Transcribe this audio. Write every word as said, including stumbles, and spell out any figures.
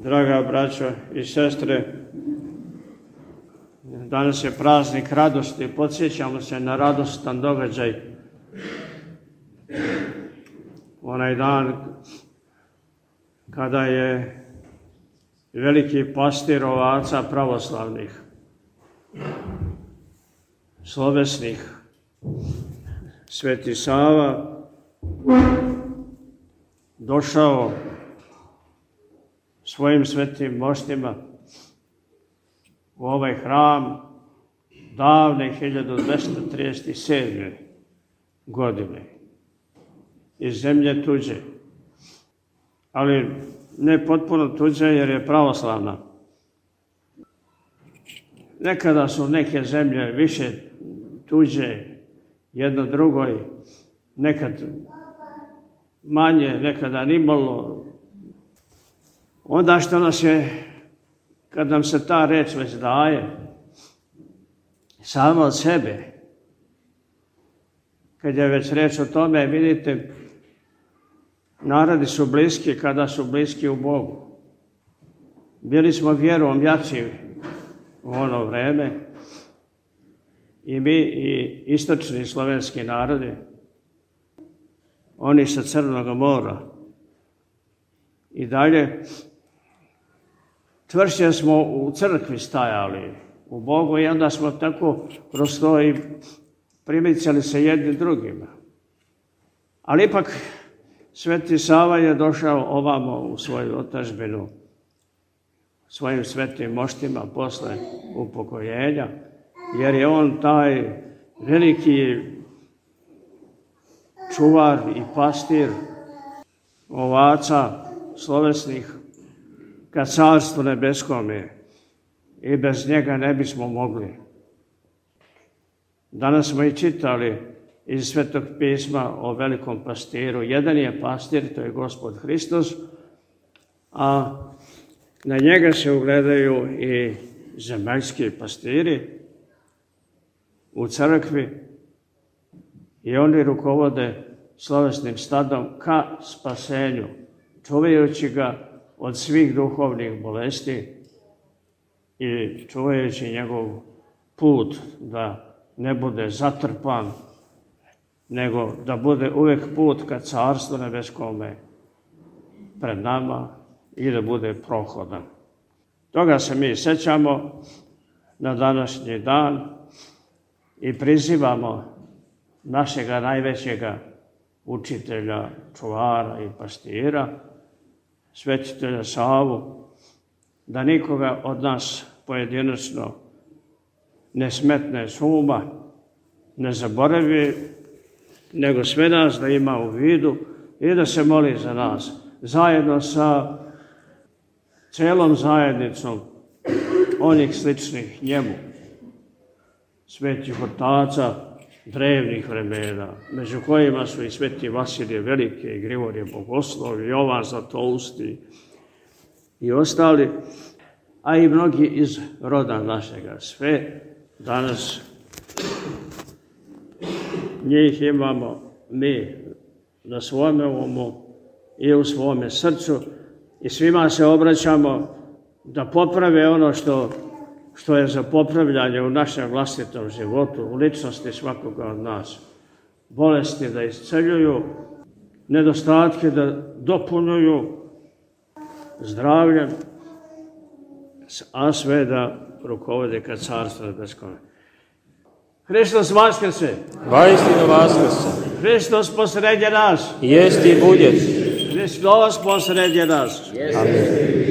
Draga braćo i sestre, danas je praznik radosti. Podsjećamo se na radostan događaj. Onaj dan kada je veliki pastir ovaca pravoslavnih, slovesnih, Sveti Sava, došao svojim svetim moštima u ovaj hram davne hiljadu dvesta trideset sedme. godine iz zemlje tuđe, ali ne potpuno tuđe jer je pravoslavna. Nekada su neke zemlje više tuđe jedno drugoj, nekad manje, nekada nimalo. Onda što nas je, kad nam se ta reč već daje, samo od sebe, kad je već reč o tome, vidite, narodi su bliski kada su bliski u Bogu. Bili smo vjerom jači u ono vreme, i mi i istočni slovenski narodi, oni sa Crnog mora. I dalje, čvršće smo u crkvi stajali, u Bogu, i onda smo tako kroz to i primicali se jedni drugima. Ali ipak Sveti Sava je došao ovamo u svoju otadžbinu svojim svetim moštima posle upokojenja, jer je on taj veliki čuvar i pastir ovaca slovesnih ka Carstvu nebeskome, i bez njega ne bismo mogli. Danas smo i čitali iz Svetog pisma o velikom pastiru. Jedan je pastir, to je Gospod Hristos, a na njega se ugledaju i zemaljski pastiri u crkvi, i oni rukovode slovesnim stadom ka spasenju, čuvajući ga od svih duhovnih bolesti i čuvajući njegov put da ne bude zatrpan, nego da bude uvek put ka Carstvu nebeskome pred nama i da bude prohodan. Toga se mi sećamo na današnji dan i prizivamo našega najvećega učitelja, čuvara i pastira, svetitelja Savu, da nikoga od nas pojedinačno ne smetne s uma, ne zaboravi, nego sve nas da ima u vidu i da se moli za nas, zajedno sa celom zajednicom onih sličnih njemu, svetih otaca drevnih vremena, među kojima su i sveti Vasilije Veliki, i Grigorije Bogoslov, i Jovan Zlatousti i ostali, a i mnogi iz roda našega. Sve danas njih imamo mi na svome umu i u svome srcu, i svima se obraćamo da poprave ono što, što je za popravljanje u našem vlastitom životu, u ličnosti svakoga od nas. Bolesti da isceljuju, nedostatke da dopunjuju zdravljem, a sve da rukovode ka Carstvu nebeskome. Hristos vaskrse! Vaistinu vaskrse! Hristos posredje nas! Jest i budjet! Hristos posredje nas! Amen.